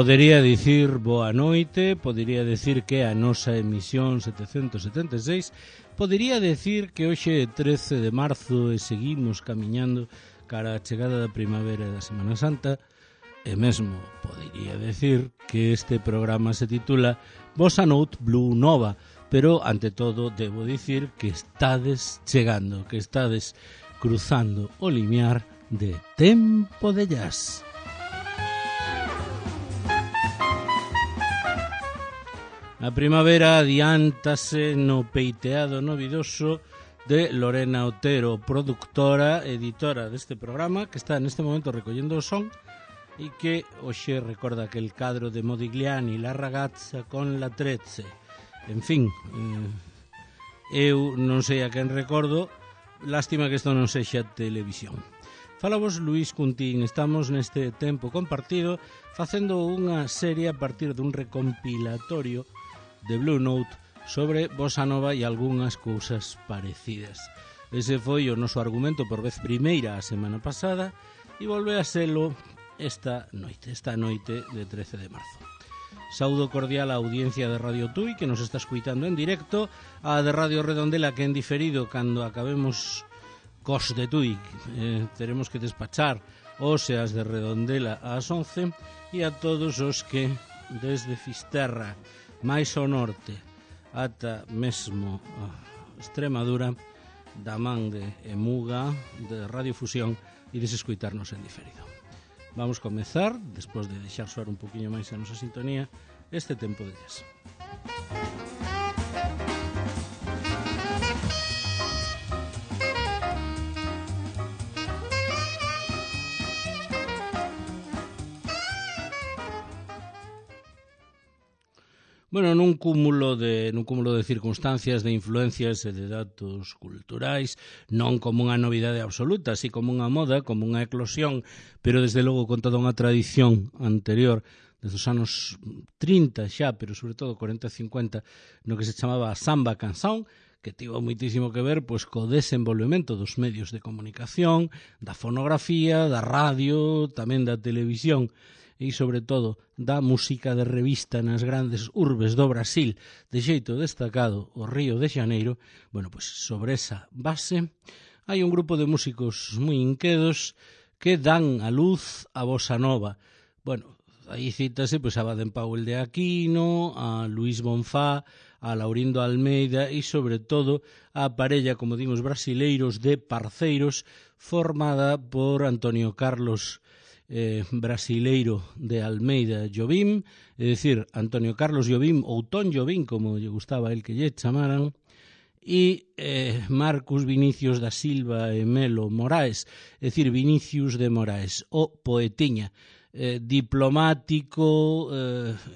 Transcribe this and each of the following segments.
Podería dicir boa noite, podería dicir que a nosa emisión 776, podería dicir que hoxe é 13 de marzo e seguimos camiñando cara a chegada da primavera e da Semana Santa, e mesmo podería dicir que este programa se titula Bossa Note Blue Nova, pero ante todo debo dicir que estades chegando, que estades cruzando o limiar de Tempo de Jazz. A primavera adiántase no peiteado novidoso de Lorena Otero, productora, editora deste programa, que está neste momento recollendo o son e que hoxe recorda aquel cadro de Modigliani, La ragazza con la trezze. En fin, eu non sei a quen recordo, lástima que isto non sexa televisión. Falavos Luís Cuntín, estamos neste tempo compartido facendo unha serie a partir dun recompilatorio de Blue Note sobre bossa nova e algunhas cousas parecidas. Ese foi o noso argumento por vez primeira a semana pasada e volve a selo esta noite de 13 de marzo. Saúdo cordial á audiencia de Radio Tui que nos está escuitando en directo, a de Radio Redondela que en diferido cando acabemos cos de Tui teremos que despachar os e as de Redondela ás 11 e a todos os que desde Fisterra máis ao norte ata mesmo Extremadura da man de Emuga, de Radiofusión e desescoitarnos en diferido. Vamos comezar, despois de deixar soar un poquinho máis a nosa sintonía, este tempo de jazz. Bueno, nun cúmulo de circunstancias, de influencias e de datos culturais, non como unha novidade absoluta, así como unha moda, como unha eclosión, pero desde logo con toda unha tradición anterior, desde os anos 30 xa, pero sobre todo 40 e 50, no que se chamaba samba canção, que tivo moitísimo que ver pois co desenvolvemento dos medios de comunicación, da fonografía, da radio, tamén da televisión, e, sobre todo, da música de revista nas grandes urbes do Brasil, de xeito destacado o Río de Xaneiro. Bueno, pois sobre esa base hai un grupo de músicos moi inquedos que dan a luz a bossa nova. Bueno, aí cítase pois a Baden Powell de Aquino, a Luís Bonfá, a Laurindo Almeida e, sobre todo, a parella, como dimos, brasileiros de Parceiros, formada por Antonio Carlos brasileiro de Almeida Jobim, é dicir, Antonio Carlos Jobim ou Ton Jobim, como lle gustaba el que lle chamaran, e Marcus Vinicius da Silva e Melo Moraes, é dicir, Vinicius de Moraes, o poetiña, diplomático,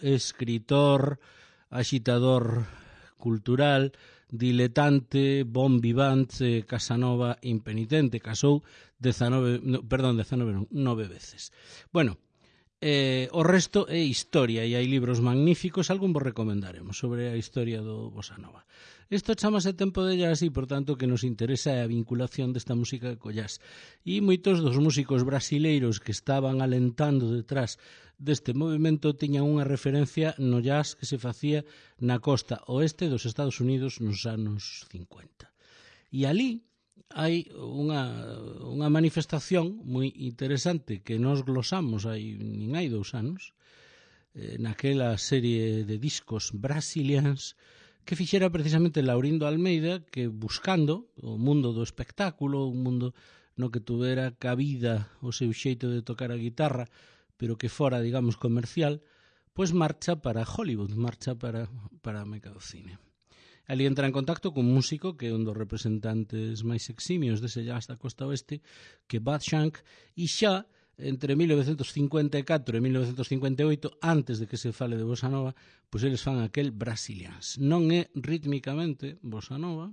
escritor, axitador cultural, diletante, bon vivant, Casanova impenitente, casou 9 veces. Bueno, o resto é historia e hai libros magníficos, algún vos recomendaremos sobre a historia do bossa nova. Isto chamase Tempo de Jazz e, por tanto, que nos interesa é a vinculación desta música co jazz. E moitos dos músicos brasileiros que estaban alentando detrás deste movimento tiñan unha referencia no jazz que se facía na costa oeste dos Estados Unidos nos anos 50. E ali hai unha manifestación moi interesante que nos glosamos hai 2 anos, naquela serie de discos brasilians que fixera precisamente Laurindo Almeida, que buscando o mundo do espectáculo, un mundo no que tuvera cabida o seu xeito de tocar a guitarra, pero que fora, digamos, comercial, pois marcha para Hollywood, marcha para a meca do cine. Ali entra en contacto cun músico que é un dos representantes máis eximios dese jazz da costa oeste, que é Bud Shank, e xa entre 1954 e 1958, antes de que se fale de bossa nova, pois eles fan aquel Brasilians. Non é rítmicamente bossa nova,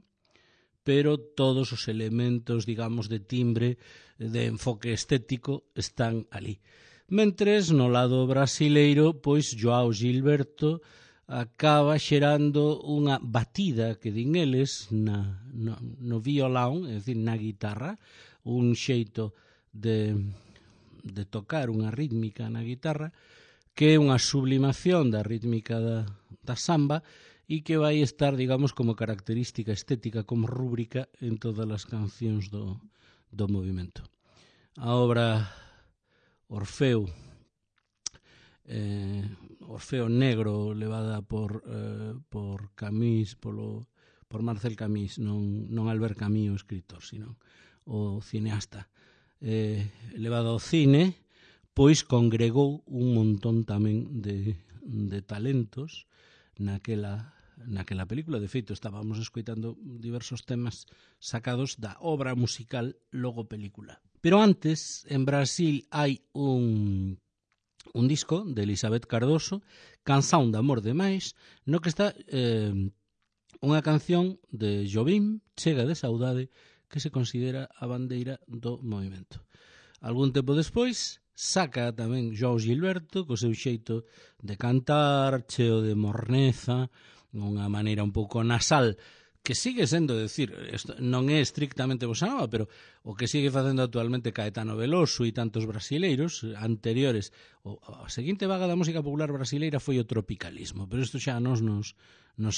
pero todos os elementos, digamos, de timbre, de enfoque estético están ali. Mentres, no lado brasileiro, pois João Gilberto acaba xerando unha batida, que din eles, no violão, é dicir, na guitarra, un xeito de tocar unha rítmica na guitarra que é unha sublimación da rítmica da samba e que vai estar, digamos, como característica estética, como rúbrica en todas as cancións do movimento. A obra Orfeo Negro, levada por Camus, por Marcel Camus, non Albert Camus o escritor, sino o cineasta, levada ao cine, pois congregou un montón tamén de talentos naquela película. De feito, estábamos escoitando diversos temas sacados da obra musical logo película. Pero antes, en Brasil hai un disco de Elizabeth Cardoso, Canción de amor demais, no que está unha canción de Jobim, Chega de saudade, que se considera a bandeira do movimento. Algún tempo despois, saca tamén João Gilberto, co seu xeito de cantar, cheo de morneza, unha maneira un pouco nasal, que sigue sendo, decir, non é estrictamente bossa nova, pero o que sigue facendo actualmente Caetano Veloso e tantos brasileiros anteriores. A seguinte vaga da música popular brasileira foi o tropicalismo, pero isto xa nos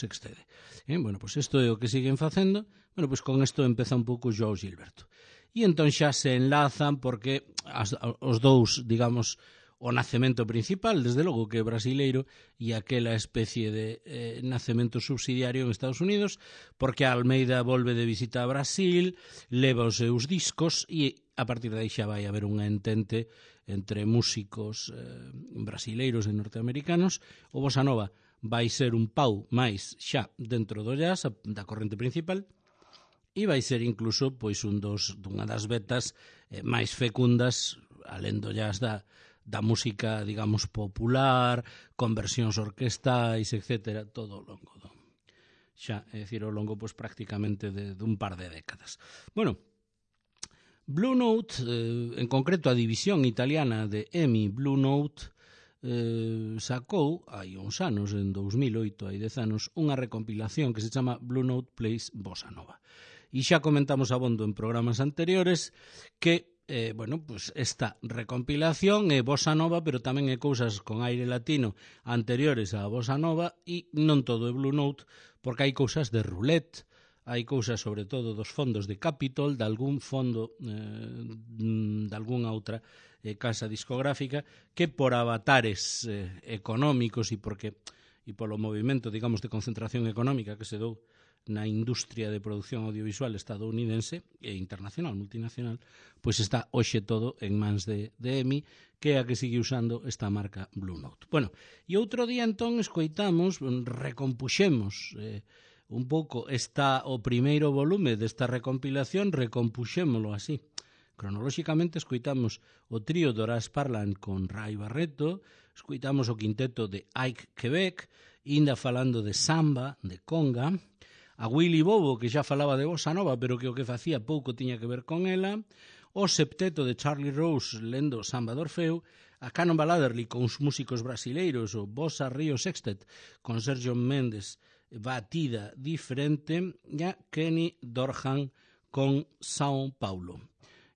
excede. Bueno, pois isto é o que siguen facendo. Bueno, pois con isto empeza un pouco João Gilberto. E entón xa se enlazan porque os dous, digamos, o nacemento principal, desde logo que é brasileiro, e aquela especie de nacemento subsidiario en Estados Unidos, porque Almeida volve de visita a Brasil, leva os seus discos e a partir de aí xa vai haber unha entente entre músicos brasileiros e norteamericanos. O bossa nova vai ser un pau máis xa dentro do jazz, da corrente principal, e vai ser incluso pois unha das vetas máis fecundas, alén do jazz, da música, digamos, popular, con versións orquestais, etc., todo ao longo xa, é dicir, ao longo, pois, prácticamente dun par de décadas. Bueno, Blue Note, en concreto a división italiana de EMI Blue Note, sacou, hai uns anos, en 2008, hai 10 anos, unha recompilación que se chama Blue Note Plays Bossa Nova. E xa comentamos abondo en programas anteriores que pues esta recompilación é bossa nova, pero tamén é cousas con aire latino anteriores á bossa nova, e non todo é Blue Note, porque hai cousas de roulette, hai cousas sobre todo dos fondos de Capitol, de algún fondo de algunha outra casa discográfica, que por avatares económicos e polo movimento, digamos, de concentración económica que se dou na industria de produción audiovisual estadounidense e internacional, multinacional, pois está hoxe todo en mans de EMI, que é a que sigue usando esta marca Blue Note. Bueno, e outro día entón escoitamos, recompuxemos un pouco o primeiro volume desta recompilación, recompuxémolo así. Cronolóxicamente escoitamos o trío Doraz Parlan con Ray Barreto, escoitamos o quinteto de Ike Quebec, inda falando de samba, de conga, a Willy Bobo, que xa falaba de bossa nova, pero que o que facía pouco tiña que ver con ela, o septeto de Charlie Rose lendo samba de Orfeo, a Cannonball Adderley con os músicos brasileiros, o Bossa Rio Sextet con Sergio Mendes, batida diferente, e a Kenny Dorhan con São Paulo.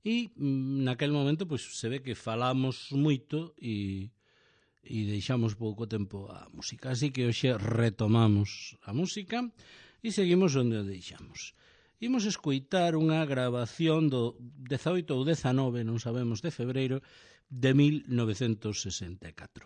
E naquel momento pois, se ve que falamos moito e deixamos pouco tempo a música. Así que hoxe retomamos a música e seguimos onde o deixamos. Imos escoitar unha grabación do 18 ou 19, non sabemos, de febreiro de 1964.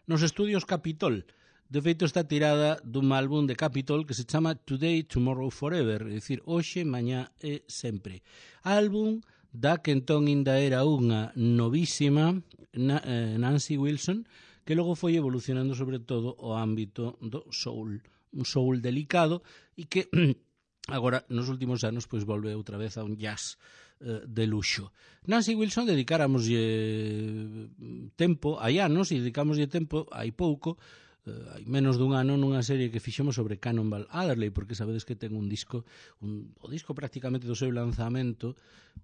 Nos estudios Capitol, de feito está tirada dun álbum de Capitol que se chama Today, Tomorrow, Forever, é dicir, hoxe, mañá e sempre. Álbum da que entón ainda era unha novísima Nancy Wilson, que logo foi evolucionando sobre todo o ámbito do soul, un soul delicado e que agora nos últimos anos pois volve outra vez a un jazz de luxo. Nancy Wilson dedicáramos tempo, hai anos, e dedicámoslle tempo hai pouco, hai menos dun ano, nunha serie que fixemos sobre Cannonball Adderley, porque sabedes que ten un disco, o disco prácticamente do seu lanzamento,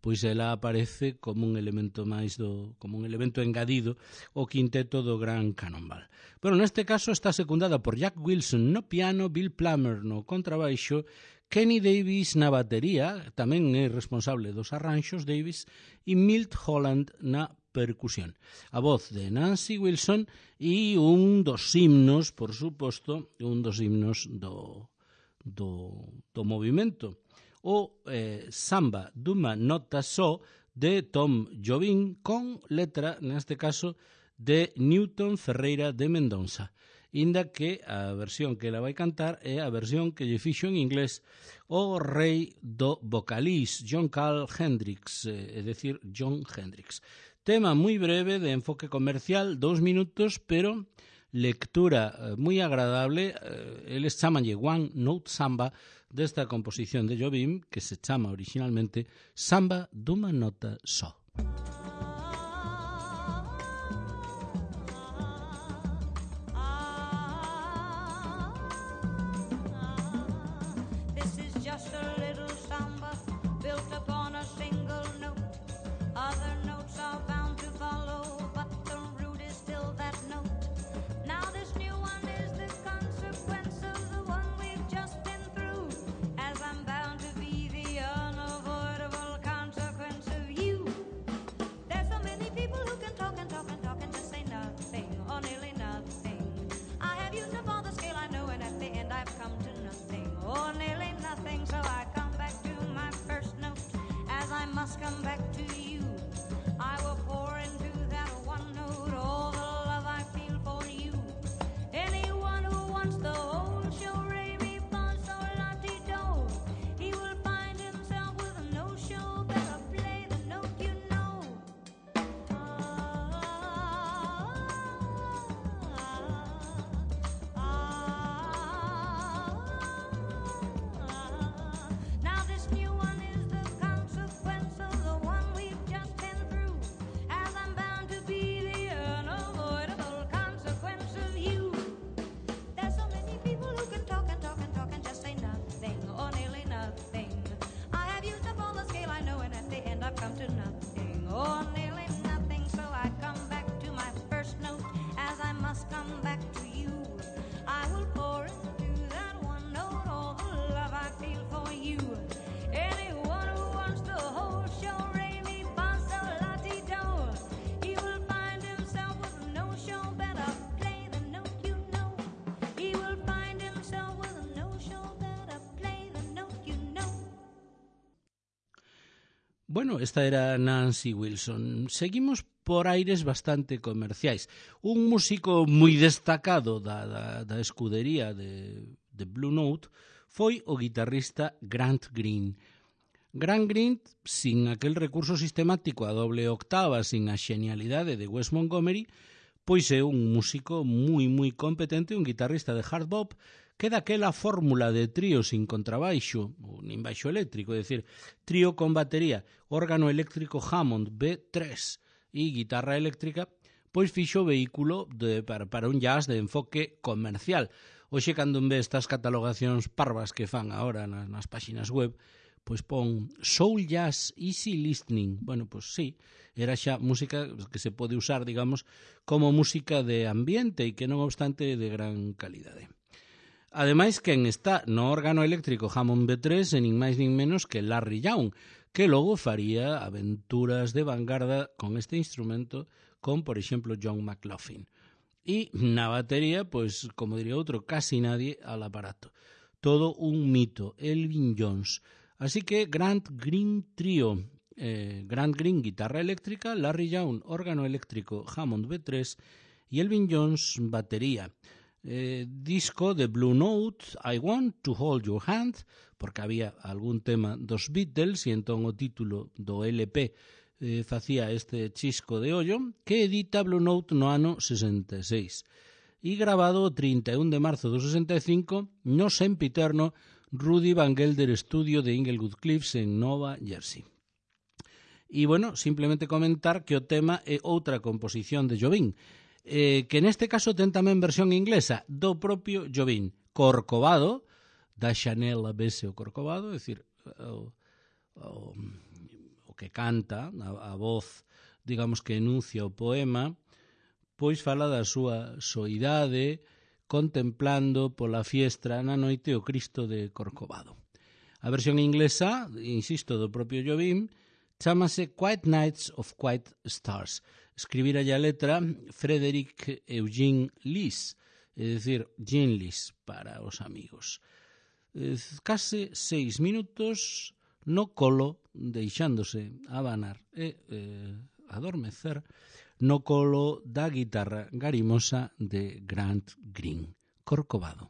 pois ela aparece como un elemento máis como un elemento engadido o quinteto do gran Cannonball. Bueno, neste caso está secundada por Jack Wilson no piano, Bill Plummer no contrabaixo, Kenny Davis na batería, tamén é responsable dos arranxos Davis, e Milt Holland na percusión. A voz de Nancy Wilson e un dos himnos, por suposto, un dos himnos do movimento. O Samba dunha nota só de Tom Jobim con letra, neste caso, de Newton Ferreira de Mendonça. Inda que a versión que ela vai cantar é a versión que lle fixo en inglés o rei do vocalís, John Carl Hendricks, é dicir, John Hendricks. Tema moi breve, de enfoque comercial, 2 minutos, pero lectura moi agradable. Eles chamanlle One Note Samba desta composición de Jobim, que se chama originalmente Samba dunha nota só. Come back to you. I will pour into that one note all the love I feel for you. Anyone who wants the whole show, re mi fa sol la ti do, he will find himself with a no show. Better play the note you know. Now this new one is the consequence of the one we've just been through, as I'm bound to be the unavoidable consequence of you. There's so many people who can talk and talk and talk and just say nothing or nearly nothing. I have used up all the scale I know, and at the end I've come to nothing or nearly nothing. So I come back to my first note, as I must come back to you. I will pour into that one note all the love I feel for you. Anyone who wants the whole show, re mi fa sol la ti do, he will find himself with a no show. Better play the note you know. He will find himself with a no show. Better play the note you know. Bueno, esta era Nancy Wilson. Seguimos por aires bastante comerciais. Un músico moi destacado da escudería de Blue Note foi o guitarrista Grant Green. Grant Green, sin aquel recurso sistemático a doble octava, sin a xenialidade de Wes Montgomery, pois é un músico moi competente, un guitarrista de hard bop, que daquela fórmula de trío sin contrabaixo, ou nin baixo eléctrico, é dicir, trío con batería, órgano eléctrico Hammond B3 e guitarra eléctrica, pois fixo o vehículo para un jazz de enfoque comercial. Hoxe, cando ve estas catalogacións parvas que fan agora nas páxinas web, pois pon Soul Jazz Easy Listening. Bueno, pois sí, era xa música que se pode usar, digamos, como música de ambiente e que non obstante de gran calidade. Ademais, quen está no órgano eléctrico Hammond B3 e nin máis nin menos que Larry Young, que logo faría aventuras de vanguarda con este instrumento con, por exemplo, John McLaughlin. E na batería, pois, como diría outro, casi nadie al aparato. Todo un mito, Elvin Jones. Así que Grant Green trío, Grant Green guitarra eléctrica, Larry Young órgano eléctrico Hammond B3 e Elvin Jones batería. Disco de Blue Note, I Want to Hold Your Hand, porque había algún tema dos Beatles e entón o título do LP facía este chisco de ollo, que edita Blue Note no ano 66 e grabado o 31 de marzo do 65 no sempiterno Rudy Van Gelder Studio de Inglewood Cliffs en Nova Jersey. E, bueno, simplemente comentar que o tema é outra composición de Jobim, que neste caso ten tamén versión inglesa do propio Jobim, Corcovado, da Chanel Abbese o Corcovado, é dicir, o que canta, a voz, digamos, que enuncia o poema, pois fala da súa soidade, contemplando pola fiestra na noite o Cristo de Corcovado. A versión inglesa, insisto, do propio Jobim, Chámase Quiet Nights of Quiet Stars. Escribira a letra Frederick Eugene Lis, é dicir, Jean Lis para os amigos. Case 6 minutos no colo, deixándose abanar e adormecer no colo da guitarra garimosa de Grant Green, Corcovado.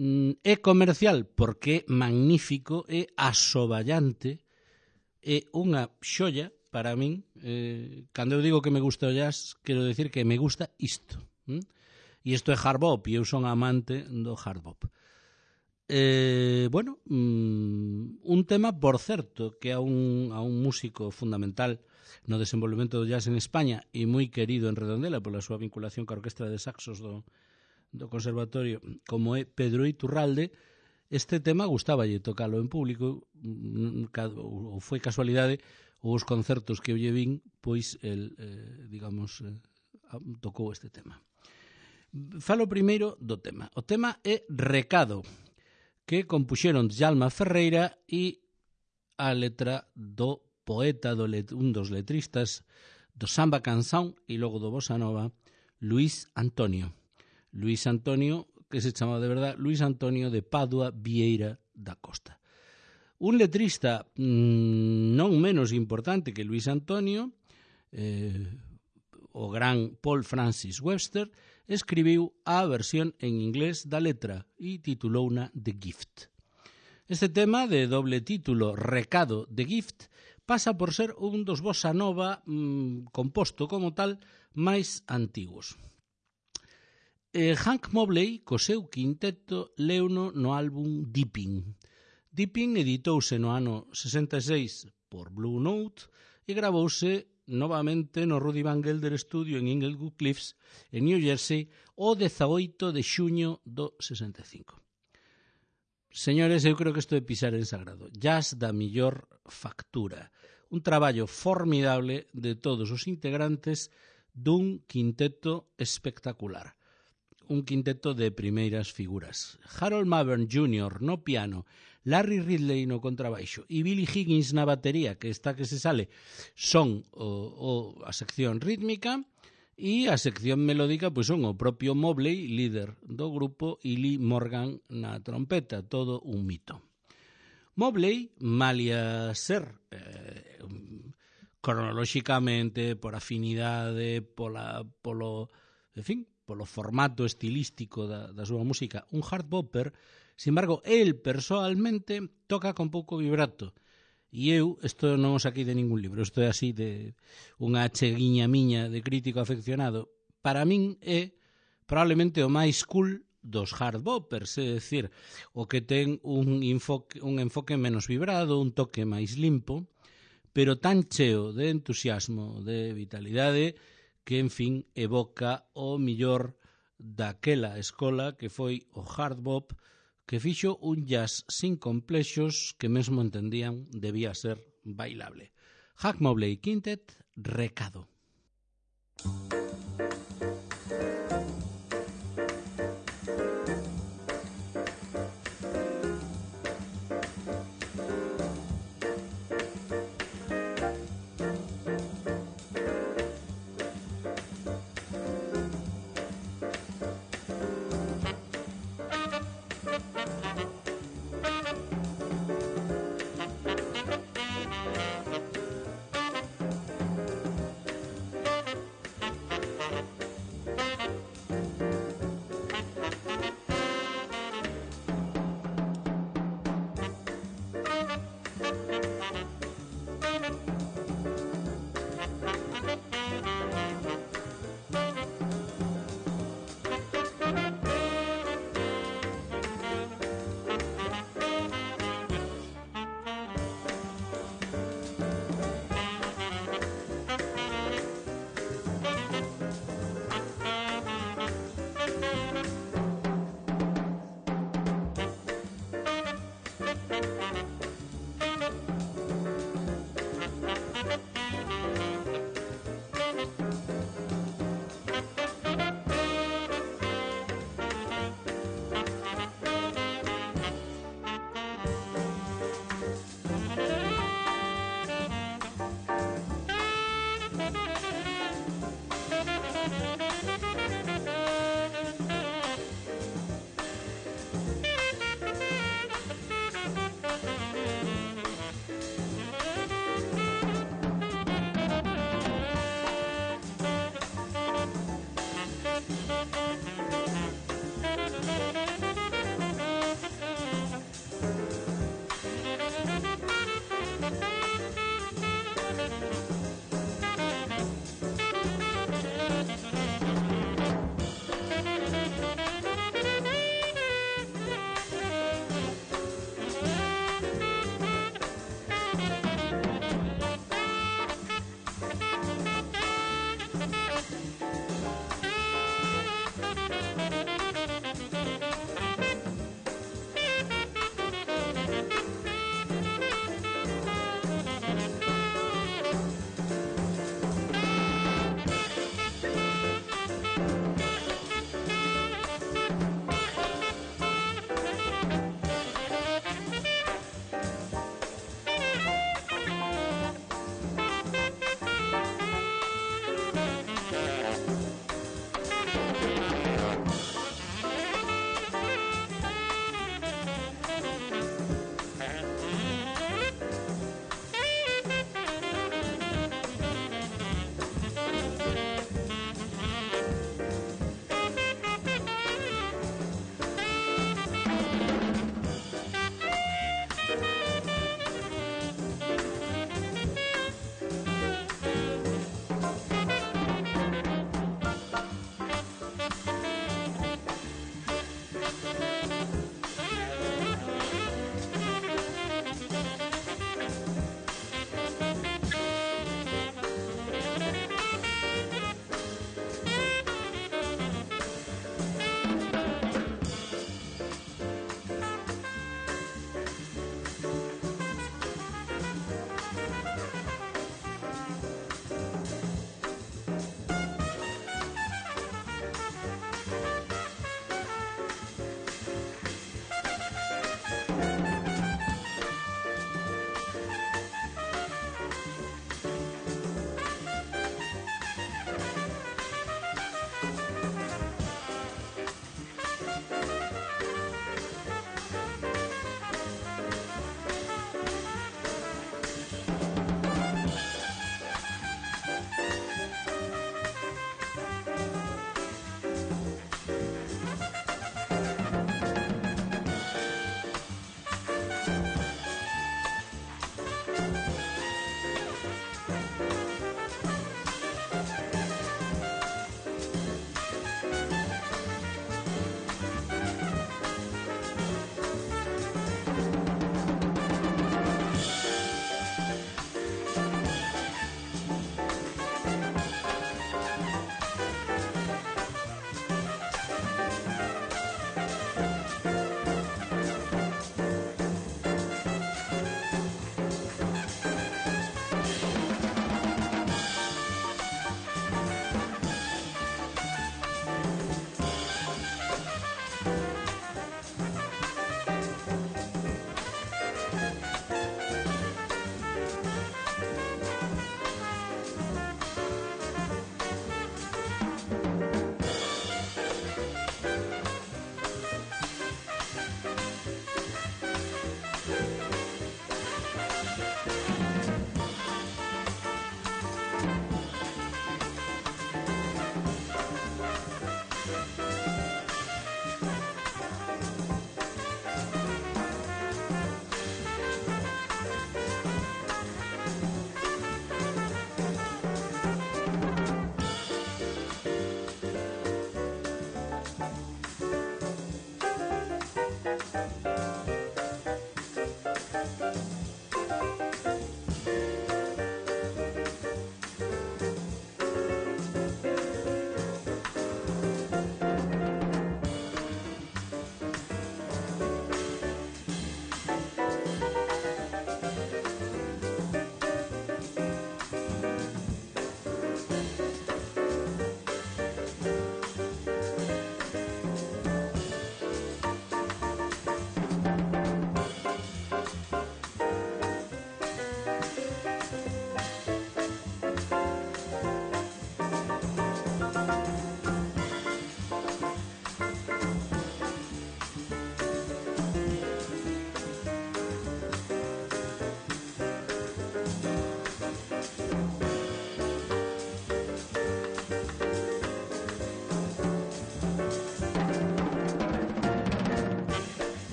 É comercial porque é magnífico, é asoballante, é unha xoia para min. Cando eu digo que me gusta o jazz, quero decir que me gusta isto. E isto é hard bop, e eu son amante do hard bop. Bueno, un tema, por certo, que a un músico fundamental no desenvolvemento do jazz en España e moi querido en Redondela pola súa vinculación ca orquestra de saxos do conservatorio, como é Pedro Iturralde. Este tema gustáballe tocalo en público, ou foi casualidade, ou os concertos que eu lle vin, pois el, tocou este tema. Falo primeiro do tema. O tema é Recado, que compuxeron Djalma Ferreira e a letra do poeta, un dos letristas do samba canção e logo do bossa nova, Luís Antonio, que se chamaba de verdad Luís Antonio de Padua Vieira da Costa. Un letrista non menos importante que Luís Antonio, o gran Paul Francis Webster, escribiu a versión en inglés da letra e titulouna The Gift. Este tema, de doble título Recado, The Gift, pasa por ser un dos bossa nova composto como tal máis antigos. Hank Mobley, co seu quinteto, leuno no álbum Dipping. Dipping editouse no ano 66 por Blue Note e gravouse novamente no Rudy Van Gelder Studio en Inglewood Cliffs, en New Jersey, o 18 de xuño do 65. Señores, eu creo que isto é pisar en sagrado. Jazz da millor factura. Un traballo formidable de todos os integrantes dun quinteto espectacular. Un quinteto de primeiras figuras. Harold Mavern Jr. no piano, Larry Ridley no contrabaixo e Billy Higgins na batería, que está que se sale, son a sección rítmica, e a sección melódica pois son o propio Mobley, líder do grupo, e Lee Morgan na trompeta, todo un mito. Mobley, malia ser cronolóxicamente, por afinidade, polo formato estilístico da súa música, un hard bopper, sin embargo, el persoalmente toca con pouco vibrato. E eu, isto non o saquei de ningún libro, isto é así de unha acheguiña miña de crítico afeccionado. Para min é probablemente o máis cool dos hard boppers, é dicir, o que ten un enfoque menos vibrado, un toque máis limpo, pero tan cheo de entusiasmo, de vitalidade, que, en fin, evoca o millor daquela escola que foi o hard bop, que fixo un jazz sin complexos que mesmo entendían debía ser bailable. Hank Mobley Quintet, Recado.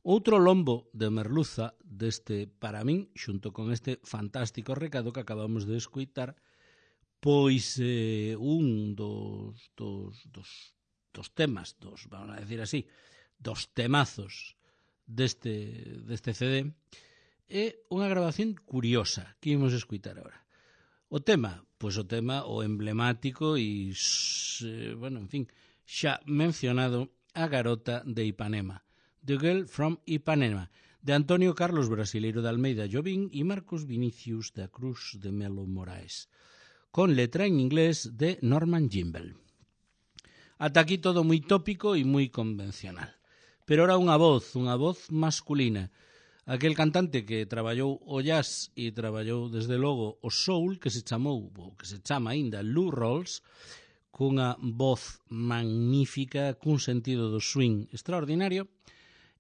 Outro lombo de merluza deste, para min, xunto con este fantástico recado que acabamos de escoitar, pois un dos temas, vamos a decir así, dos temazos deste CD, é unha grabación curiosa que imos escoitar agora. O tema, pois o tema o emblemático e, bueno, en fin, xa mencionado, A garota de Ipanema, The Girl from Ipanema, de Antonio Carlos Brasileiro de Almeida Jobim e Marcos Vinicius da Cruz de Melo Moraes, con letra en inglés de Norman Gimbel. Ata aquí todo moi tópico e moi convencional. Pero ahora unha voz masculina, aquel cantante que traballou o jazz e traballou desde logo o soul, que se chamou, ou que se chama aínda, Lou Rawls, cunha voz magnífica, cun sentido do swing extraordinario,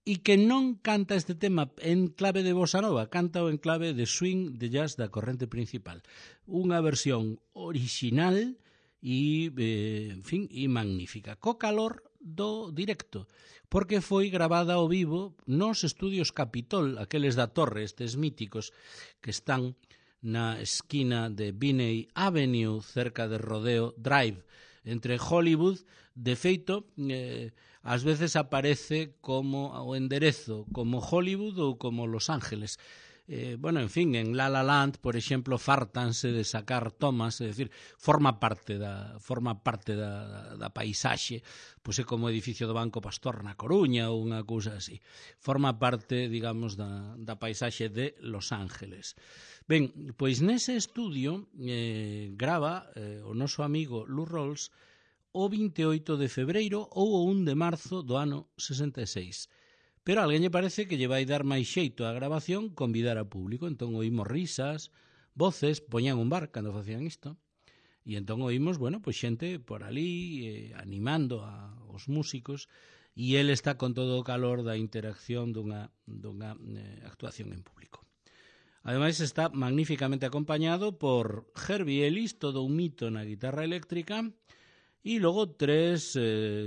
e que non canta este tema en clave de bossa nova, canta en clave de swing, de jazz da corrente principal. Unha versión original e, en fin, e magnífica, co calor do directo, porque foi grabada ao vivo nos estudios Capitol, aqueles da Torre, estes míticos que están na esquina de Binney Avenue, cerca de Rodeo Drive, entre Hollywood. De feito, ás veces aparece como o enderezo como Hollywood ou como Los Ángeles. Bueno, en fin, en La La Land, por exemplo, fartanse de sacar tomas, é dicir, forma parte da paisaxe, pois é como o edificio do Banco Pastor na Coruña ou unha cousa así. Forma parte, digamos, da paisaxe de Los Ángeles. Ben, pois nese estudio grava o noso amigo Lou Rawls o 28 de febreiro ou o 1 de marzo do ano 66. Pero a alguén lle parece que lle vai dar máis xeito á grabación convidar ao público. Entón oímos risas, voces, poñían un bar cando facían isto, e entón oímos, bueno, pois xente por ali animando aos músicos, e ele está con todo o calor da interacción dunha actuación en público. Ademais está magníficamente acompañado por Herbie Ellis, todo un mito na guitarra eléctrica, e logo tres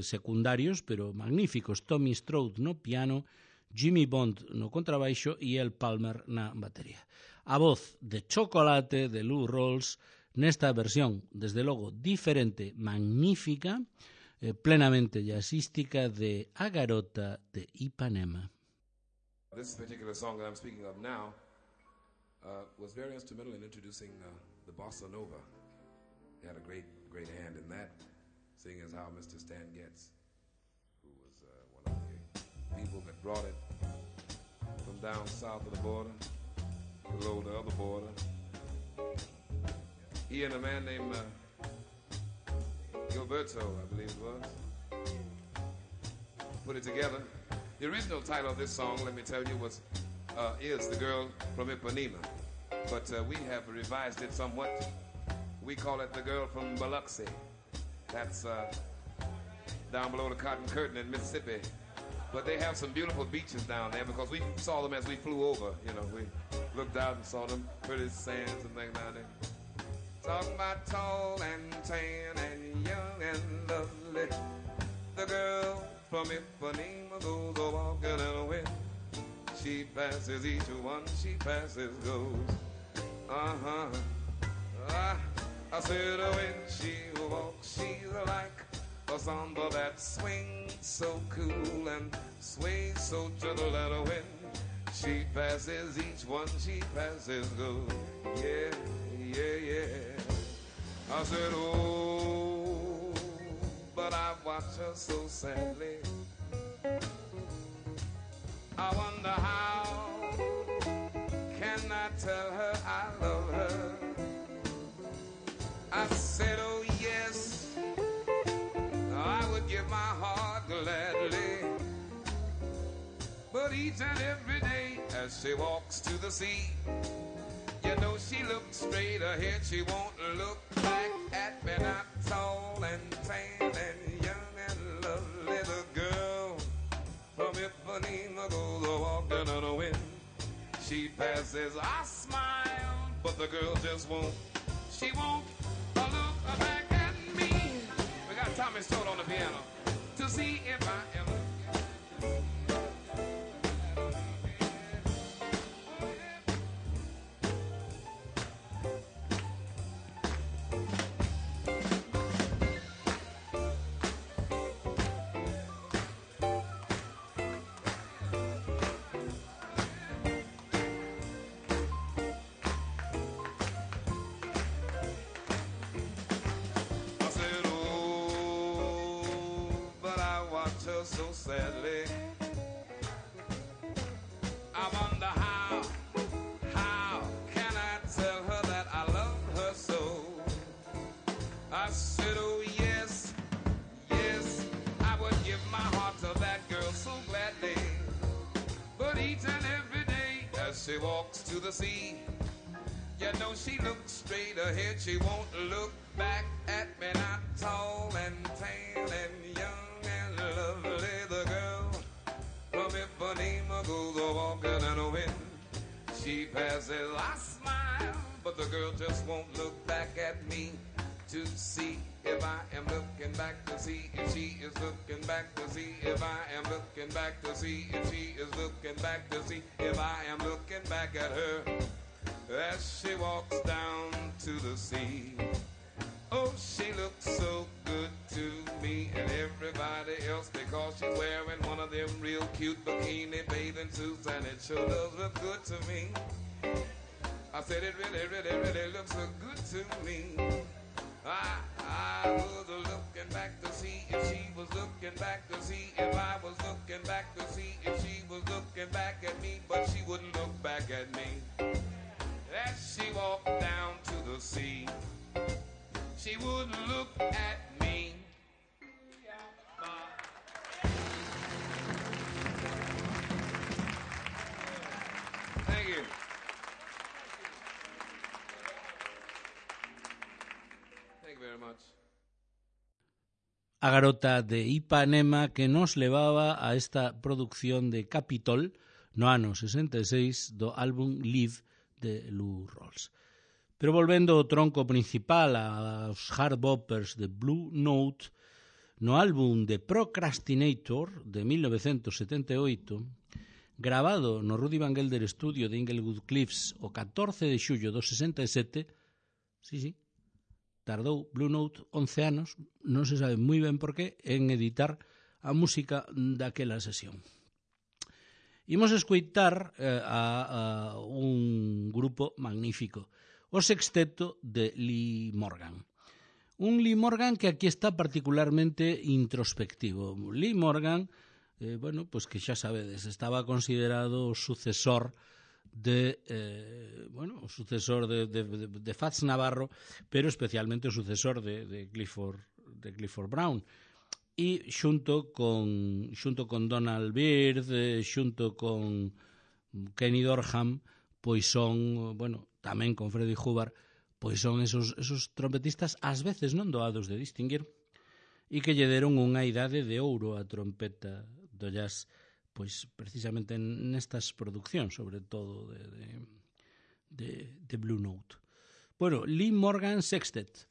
secundarios, pero magníficos, Tommy Stroud no piano, Jimmy Bond no contrabaixo e El Palmer na batería. A voz de Chocolate de Lou Rawls nesta versión, desde logo, diferente, magnífica, plenamente jazzística de A Garota de Ipanema. This particular song that I'm speaking of now was very instrumental in introducing the bossa nova. He had a great hand in that, seeing as how Mr. Stan Getz, who was one of the people that brought it from down south of the border, below the other border. He and a man named Gilberto, I believe it was, put it together. The original title of this song, let me tell you, is The Girl from Ipanema. But we have revised it somewhat. We call it The Girl from Biloxi. That's down below the Cotton Curtain in Mississippi. But they have some beautiful beaches down there because we saw them as we flew over. You know, we looked out and saw them pretty sands and things down there. Talking about tall and tan and young and lovely. The girl from Ipanema goes a walking in the wind. She passes each one, she passes goes. I said when she walks, she's like a samba that swings so cool and sways so gentle at a wind. She passes each one, she passes goes. Yeah, yeah, yeah. I said, oh, but I watch her so sadly. I wonder how can I tell her I love her. I said, oh yes, I would give my heart gladly. But each and every day as she walks to the sea, you know she looks straight ahead, she won't look back at me. Not tall and tan and young and lovely, the girl from Ipanema goes a walking on the wind. She passes, I smile, but the girl just won't. She won't look back at me. We got Tommy Stroud on the piano to see if I am. So sadly, I wonder how can I tell her that I love her so? I said, oh yes, yes, I would give my heart to that girl so gladly. But each and every day as she walks to the sea, you know she looks straight ahead, she won't look back at me. Not tall and tan and young and lovely, the girl from Ipanema goes a walking in the wind. She passes, I smile, but the girl just won't look back at me to see if I am looking back to see if she is looking back to see if I am looking back to see if she is looking back to see if I am looking back at her as she walks down to the sea. Oh, she looks so good to me and everybody else because she's wearing one of them real cute bikini bathing suits, and it sure does look good to me. I said it really looks so good to me. I was looking back to see if she was looking back to see if I was looking back to see if she was looking back at me, but she wouldn't look back at me. As she walked down to the sea, she wouldn't look at me. Thank you. Thank you very much. A Garota de Ipanema, que nos levaba a esta producción de Capitol no ano 66 do álbum Live de Lou Rawls. Pero volvendo ao tronco principal, aos hard boppers de Blue Note, no álbum de Procrastinator de 1978, gravado no Rudy Van Gelder Studio de Inglewood Cliffs o 14 de xullo do 67, sí, tardou Blue Note 11 anos, non se sabe moi ben por qué, en editar a música daquela sesión. Imos escoitar a un grupo magnífico, o sexteto de Lee Morgan. Un Lee Morgan que aquí está particularmente introspectivo. Lee Morgan, pues que xa sabedes, estaba considerado o sucesor de Fats Navarro, pero especialmente o sucesor de Clifford Brown. E xunto con Donald Byrd, xunto con Kenny Dorham, pois son, tamén con Freddie Hubbard, pois son esos trompetistas ás veces non doados de distinguir e que lle deron unha idade de ouro á trompeta do jazz, pois precisamente nestas produccións, sobre todo de Blue Note. Lee Morgan Sextet,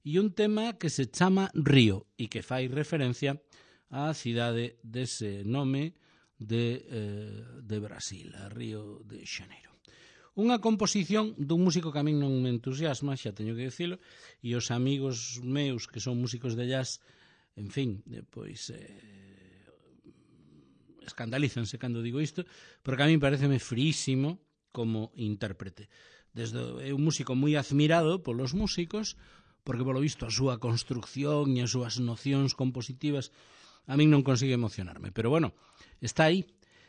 e un tema que se chama Río e que fai referencia á cidade dese nome de Brasil, a Río de Xaneiro. Unha composición dun músico que a min non me entusiasma, xa teño que dicilo, e os amigos meus que son músicos de jazz, en fin, pois escandalízanse cando digo isto, porque a mí pareceme frísimo como intérprete. É un músico moi admirado polos músicos, porque polo visto a súa construcción e as súas nocións compositivas a min non consigue emocionarme, pero está aí.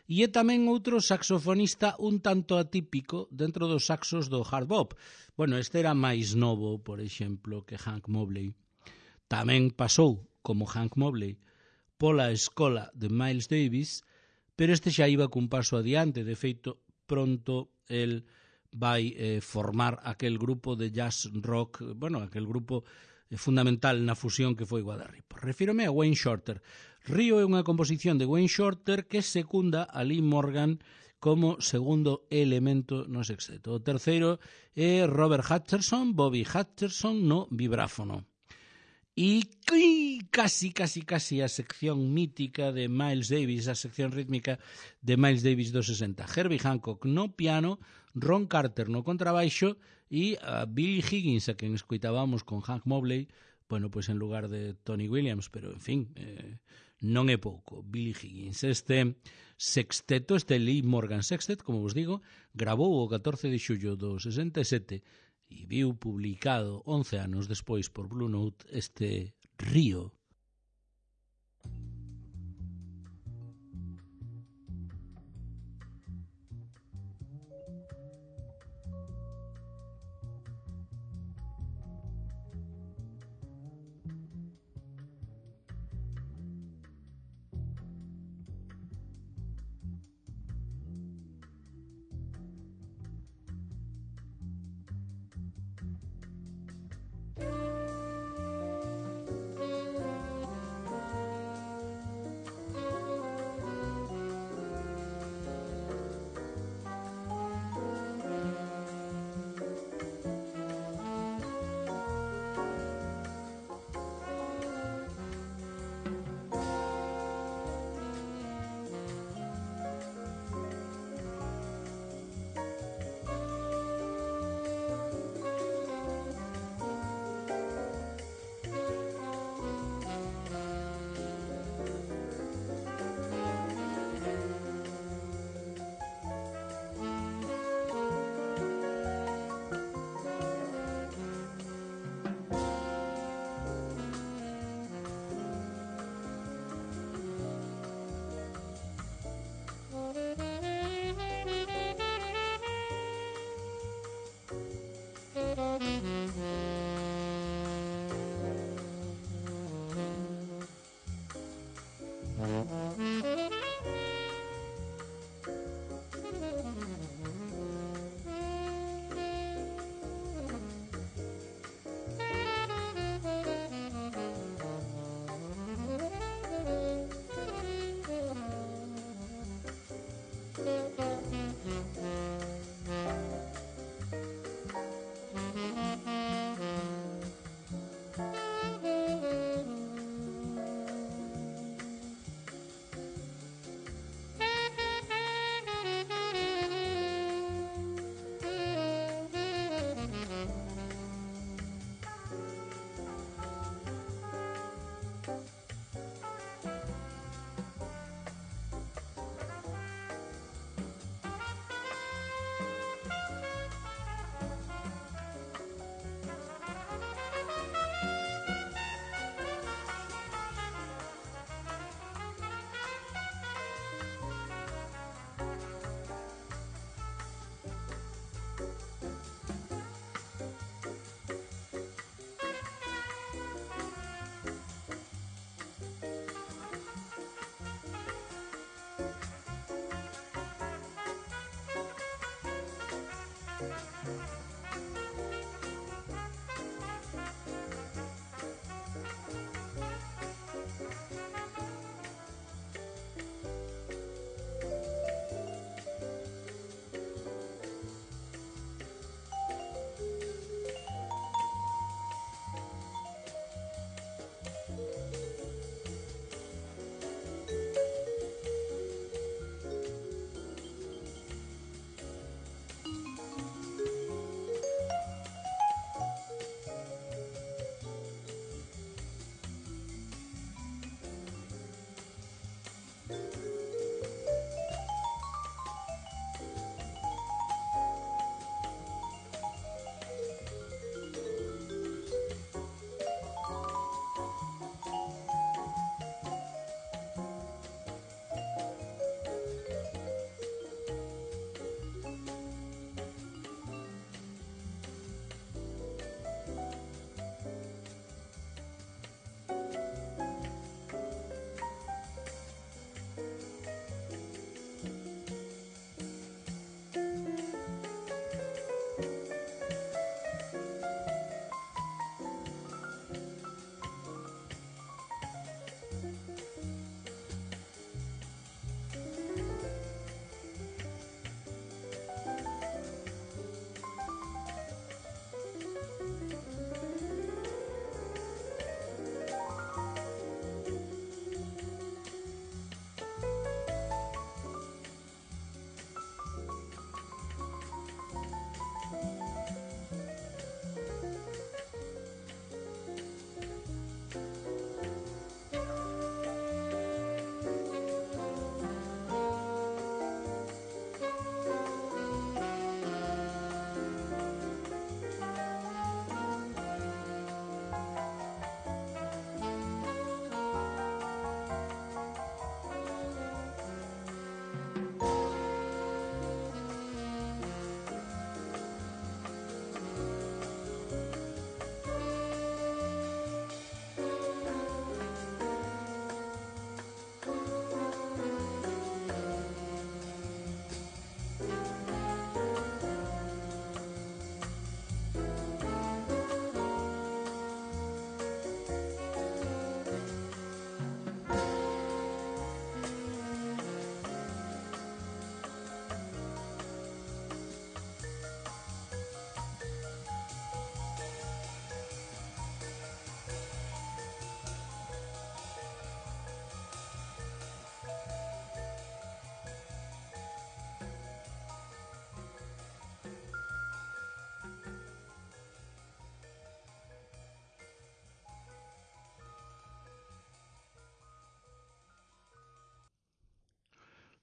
E é tamén outro saxofonista un tanto atípico dentro dos saxos do hard bop. Este era máis novo, por exemplo, que Hank Mobley. Tamén pasou, como Hank Mobley, pola escola de Miles Davis, pero este xa iba cun paso adiante. De feito, pronto el vai formar aquel grupo de jazz rock, aquel grupo fundamental na fusión que foi Guadarrip. Refírome a Wayne Shorter. Río é unha composición de Wayne Shorter que secunda a Lee Morgan como segundo elemento no sexteto. O terceiro é Robert Hutcherson, Bobby Hutcherson no vibráfono. E casi a sección mítica de Miles Davis, a sección rítmica de Miles Davis dos 60. Herbie Hancock no piano, Ron Carter no contrabaixo e a Billy Higgins, a quen escoitábamos con Hank Mobley, en lugar de Tony Williams, pero en fin, non é pouco. Billy Higgins. Este sexteto, este Lee Morgan Sextet, como vos digo, gravou o 14 de xullo do 67 e viu publicado 11 anos despois por Blue Note este Río.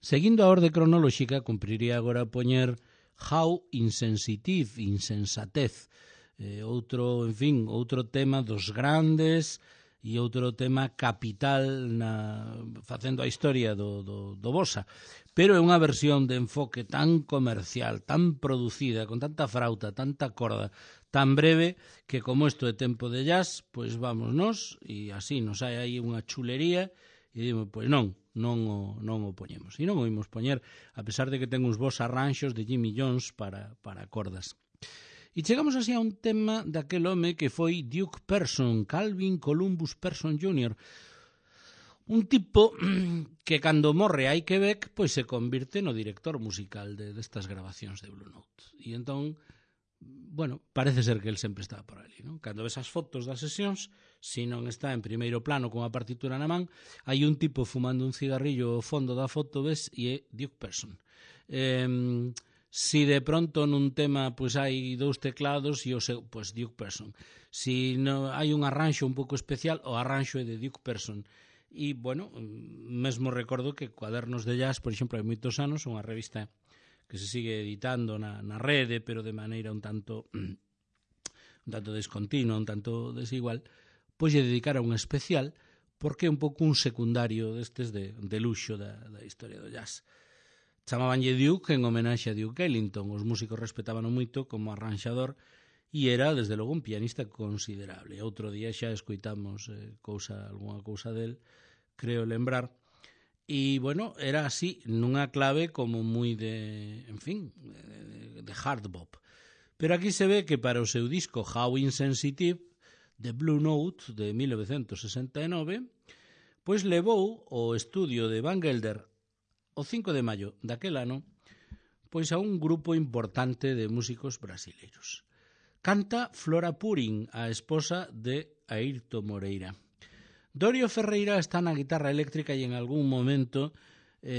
Seguindo a orde cronolóxica, cumpriría agora poñer How Insensitive, insensatez, outro tema dos grandes e outro tema capital facendo a historia do bossa, pero é unha versión de enfoque tan comercial, tan producida, con tanta frauta, tanta corda, tan breve, que como isto é tempo de jazz, pois vámonos, e así nos hai aí unha chulería, e dimo, pois non o poñemos. E non o imos poñer, a pesar de que ten uns bons arranxos de Jimmy Jones para cordas. E chegamos así a un tema daquel home que foi Duke Person, Calvin Columbus Person Jr., un tipo que cando morre hai Quebec, pois se convirte no director musical destas grabacións de Blue Note. E entón, bueno, parece ser que el sempre estaba por ali, non? Cando ves as fotos das sesións, se non está en primeiro plano con a partitura na man, hai un tipo fumando un cigarrillo ao fondo da foto, ves, e é Duke Person. Si de pronto nun tema pois hai dous teclados e o seu, pois Duke Person. Si no, hai un arranxo un pouco especial, o arranxo é de Duke Person. E, bueno, mesmo recordo que Cuadernos de Jazz, por exemplo, hai moitos anos, unha revista que se sigue editando na rede, pero de maneira un tanto descontinua, un tanto desigual, pois lle dedicara un especial, porque é un pouco un secundario destes de luxo da historia do jazz. Chamabanlle Duke en homenaxe a Duke Ellington, os músicos respetaban moito como arranxador, e era, desde logo, un pianista considerable. Outro día xa escoitamos algunha cousa del, creo lembrar, e, bueno, era así, nunha clave como moi de hard bop. Pero aquí se ve que para o seu disco How Insensitive, de Blue Note, de 1969, pois levou o estudio de Van Gelder o 5 de maio daquel ano, pois a un grupo importante de músicos brasileiros. Canta Flora Purin, a esposa de Airto Moreira. Dorio Ferreira está na guitarra eléctrica e en algún momento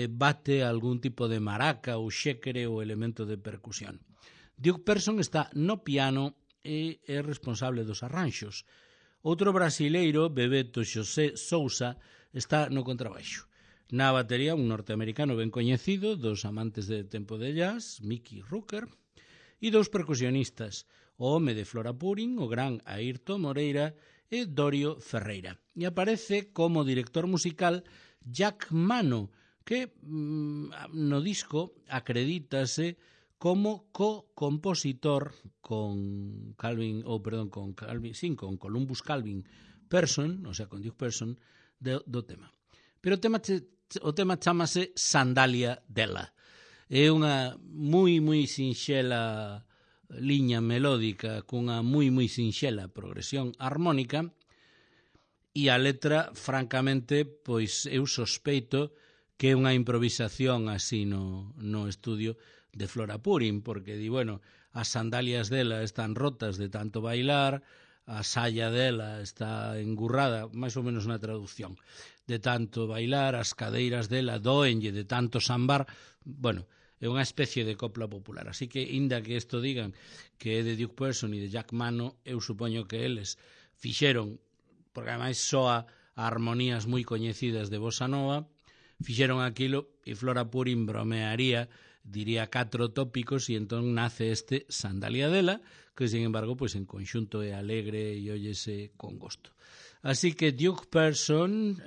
bate algún tipo de maraca ou xéquere ou elemento de percusión. Duke Person está no piano e é responsable dos arranxos. Outro brasileiro, Bebeto Xosé Sousa, está no contrabaixo. Na batería, un norteamericano ben coñecido dos amantes de tempo de jazz, Mickey Rooker, e dous percusionistas, o home de Flora Purin, o gran Airto Moreira, e Dorio Ferreira. E aparece como director musical Jack Mano, que no disco acredítase como co-compositor con Columbus Calvin Person, o sea, con Duke Person, do tema. Pero o tema chamase Sandalia dela. É unha moi sinxela liña melódica cunha moi sinxela progresión armónica, e a letra, francamente, pois eu sospeito que é unha improvisación así no estudio de Flora Purin, porque di, bueno, as sandalias dela están rotas de tanto bailar, a saya dela está engurrada, máis ou menos na traducción, de tanto bailar, as cadeiras dela doenlle de tanto sambar, bueno, é unha especie de copla popular. Así que, inda que isto digan que é de Duke Person e de Jack Mano, eu supoño que eles fixeron, porque ademais soa a armonías moi coñecidas de Bossa Nova, fixeron aquilo e Flora Purin bromearía, diría 4 tópicos, e entón nace este Sandalia dela, que, sin embargo, pois en conxunto é alegre e óyese con gosto. Así que Duke Person,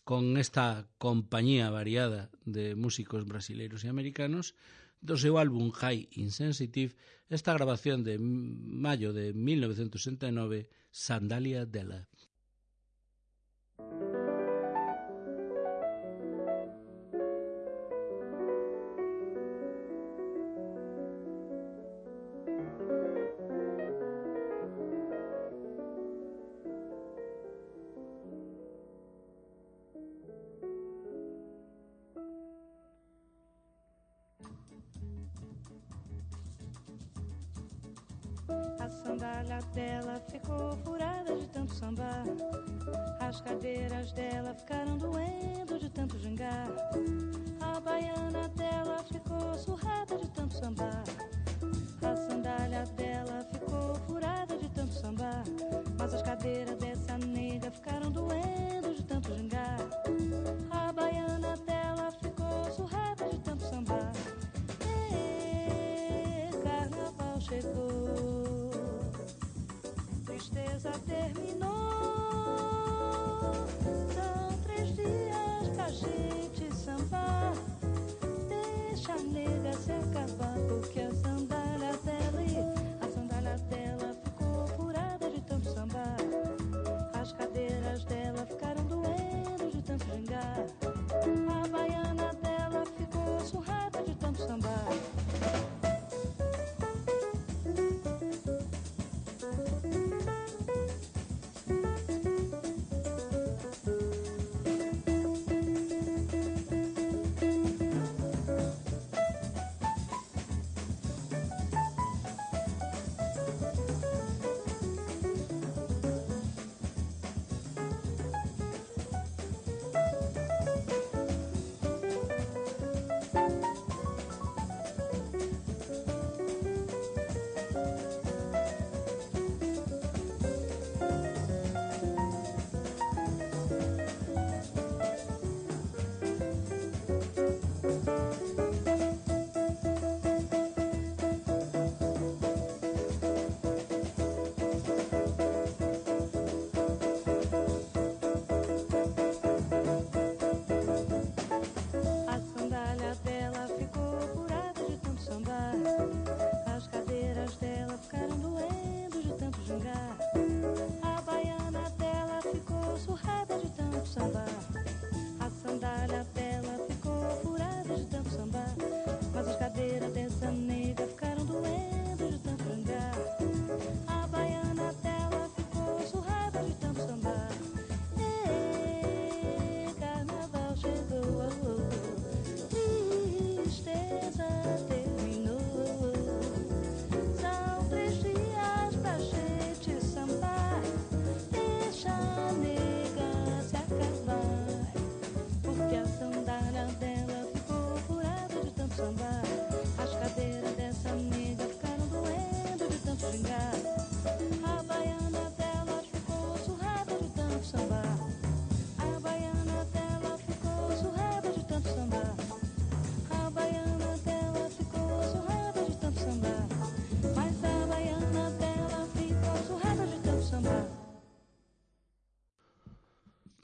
con esta compañía variada de músicos brasileiros e americanos, do seu álbum High Insensitive, esta grabación de maio de 1969, Sandalia dela. A sandália dela ficou furada de tanto sambar. As cadeiras dela ficaram doendo de tanto gingar. A baiana dela ficou surrada de tanto sambar. A sandália dela ficou furada de tanto sambar. Mas as cadeiras dessa nega ficaram doendo de tanto gingar. A baiana dela ficou surrada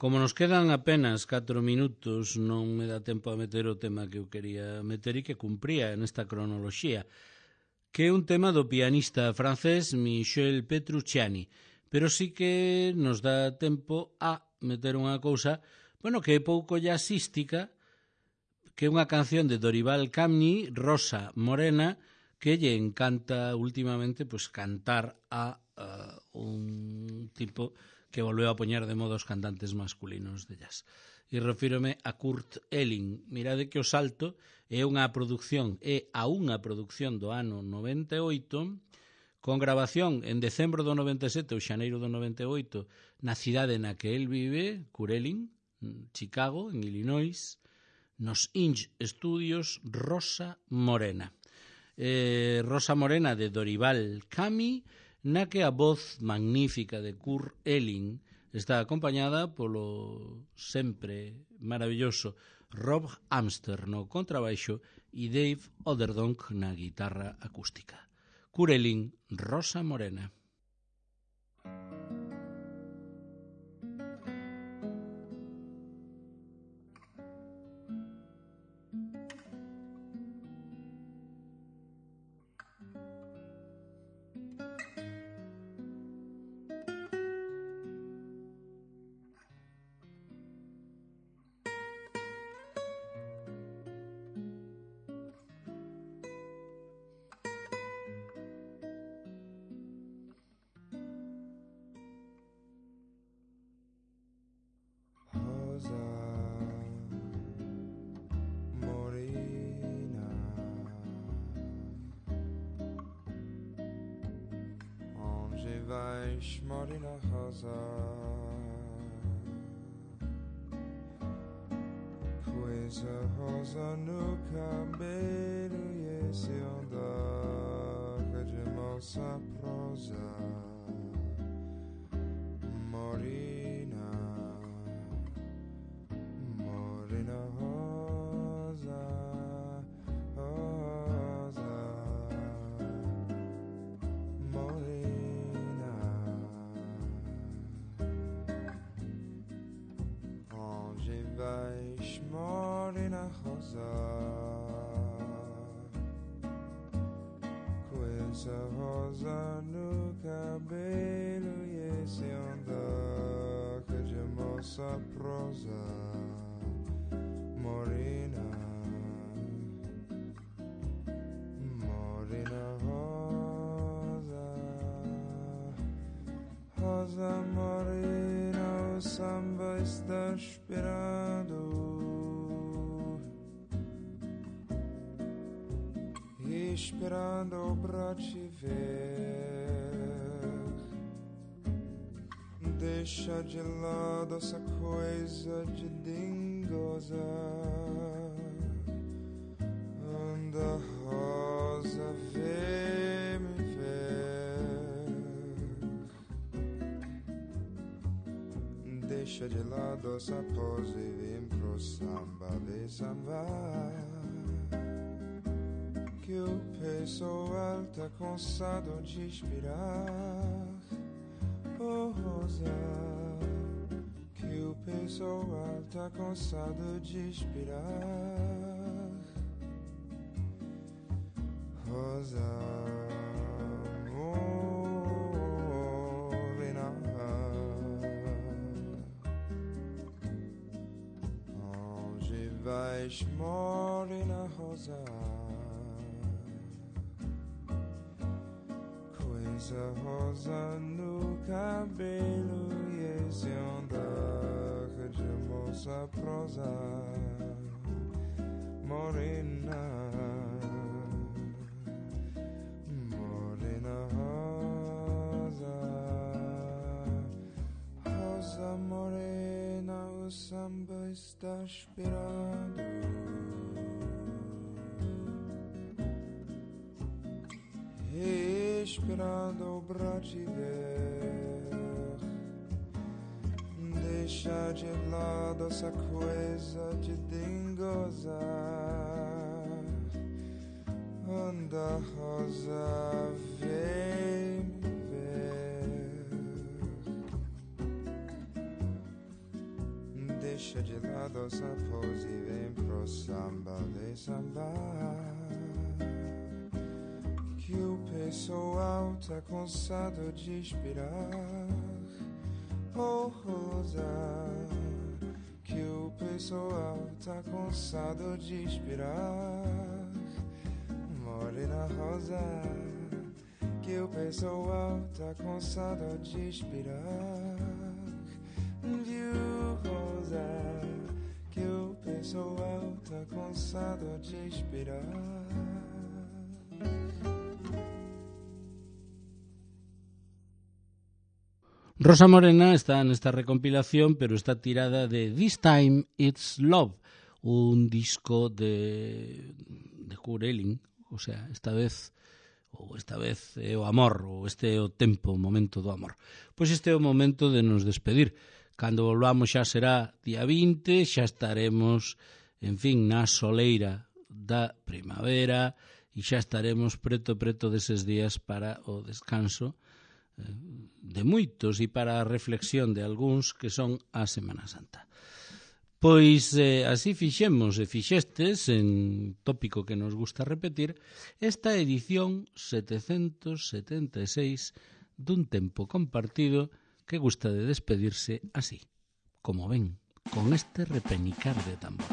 Como nos quedan apenas 4 minutos, non me dá tempo a meter o tema que eu quería meter e que cumpría nesta cronoloxía, que é un tema do pianista francés Michel Petrucciani, pero sí que nos dá tempo a meter unha cousa, bueno, que é pouco jazzística, que é unha canción de Dorival Caymmi, Rosa Morena, que lle encanta últimamente pues cantar a un tipo que volveu a poñer de moda os cantantes masculinos de jazz. E refírome a Kurt Elling. Mirade que o salto é a unha produción do ano 98, con grabación en decembro do 97 ou xaneiro do 98 na cidade na que el vive, Kurt Elling, Chicago, en Illinois, nos Inch Studios Rosa Morena. Rosa Morena de Dorival Caymmi, na que a voz magnífica de Kurt Elling está acompañada polo sempre maravilloso Rob Amster no contrabaixo e Dave Oderdonk na guitarra acústica. Kurt Elling, Rosa Morena. Vais Marina Rosa, coisa rosa no cabelo e esse andar de moça prosa. Morena, morena rosa, rosa, morena. Onde vais, morena rosa? Coisa rosa no cabelo e esse andar de moça prosa. Morena, morena rosa, rosa morena, o samba está esperando, esperando pra te ver. Deixa de lado essa coisa de dingosa. Anda rosa, vem me ver. Deixa de lado essa pose e vem pro samba, vem sambar. Que o pessoal tá cansado de esperar. Oh, rosa, que o pessoal tá cansado de esperar. Rosa, morena, onde vais, morena rosa? Coisa rosa no cabelo e esse andar de moça prosa. Morena, morena rosa, rosa morena, o samba está esperando. Esperando pra te ver. Deixa de lado essa coisa de dingosa. Anda rosa, vem me ver. deixa de lado essa pose e vem pro samba, vem sambar. Que o pessoal tá cansado de esperar. Oh, Rosa, que o pessoal tá cansado de esperar. Morena Rosa, que o pessoal tá cansado de esperar. Viu, Rosa, que o pessoal tá cansado de esperar. Rosa Morena está nesta recompilación, pero está tirada de This Time It's Love, un disco de Kurt Elling, o sea, esta vez é o amor, ou este é o tempo, o momento do amor. Pois este é o momento de nos despedir. Cando volvamos xa será día 20, xa estaremos, en fin, na soleira da primavera e xa estaremos preto deses días para o descanso de moitos e para a reflexión de algúns que son a Semana Santa. Pois así fixemos e fixestes, en tópico que nos gusta repetir, esta edición 776 dun tempo compartido que gusta de despedirse así, como ven, con este repenicar de tambor.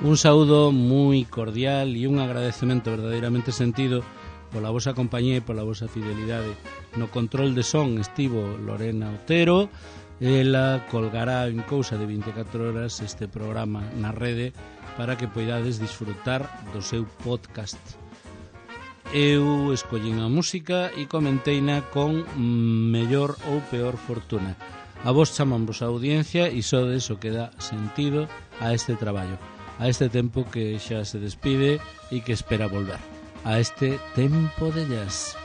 Un saúdo moi cordial e un agradecemento verdadeiramente sentido pola vosa compañía e pola vosa fidelidade. No control de son estivo Lorena Otero. Ela colgará en cousa de 24 horas este programa na rede para que poidades disfrutar do seu podcast. Eu escollín a música e comenteina con mellor ou peor fortuna. A vos chamamos a audiencia e sodes o que dá sentido a este traballo, a este tempo que xa se despide e que espera volver, a este tempo de jazz.